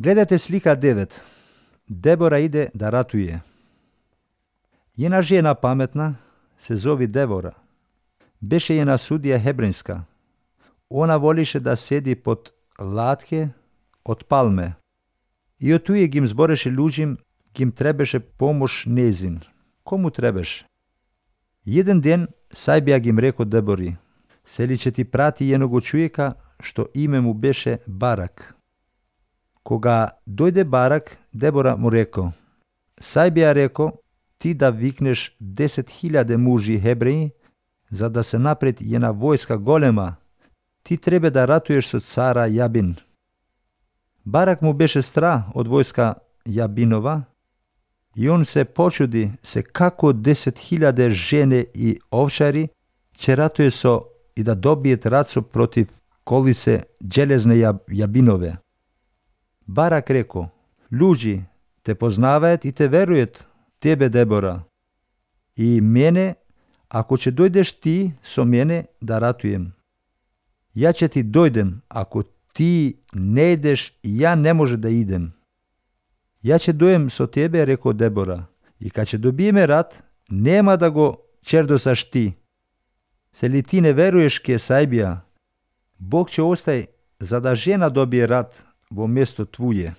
Gledajte slika 9. Debora ide da ratuje. Jedna žena pametna se zove Debora. Beše jedna sudija hebrejska. Ona voliše da sedi pod latke od palme. I od tuje gim zboreše ľuđim, gim trebeše pomoć nezin. Komu trebeš? Jedan den sajbija gim rekao Debori, seli će ti prati jednog čujeka što ime mu beše Barak. Koga dojde Barak, Debora mu rekao, sajbija rekao, ti da vikneš 10.000 muži Hebreji, za da se napred jedna vojska golema, ti treba da ratuješ sa cara Jabin. Barak mu beše strah od vojska Jabinova i on se počudi se kako 10.000 žene i ovčari će ratuje so i da dobije racu protiv kolise železne Jabinove. Barak rekao, ljudi te poznavajet i te verujet, tebe Debora. I mene, ako će dojdeš ti so mene da ratujem. Ja će ti dojdem, ako ti ne ideš i ja ne može da idem. Ja će dojem so tebe, rekao Debora, i kad će dobijeme rat, nema da go čerdosaš ti. Se li ti ne veruješ ke sajbija, Bog će ostaj za da žena dobije rat vo mjesto tvuje.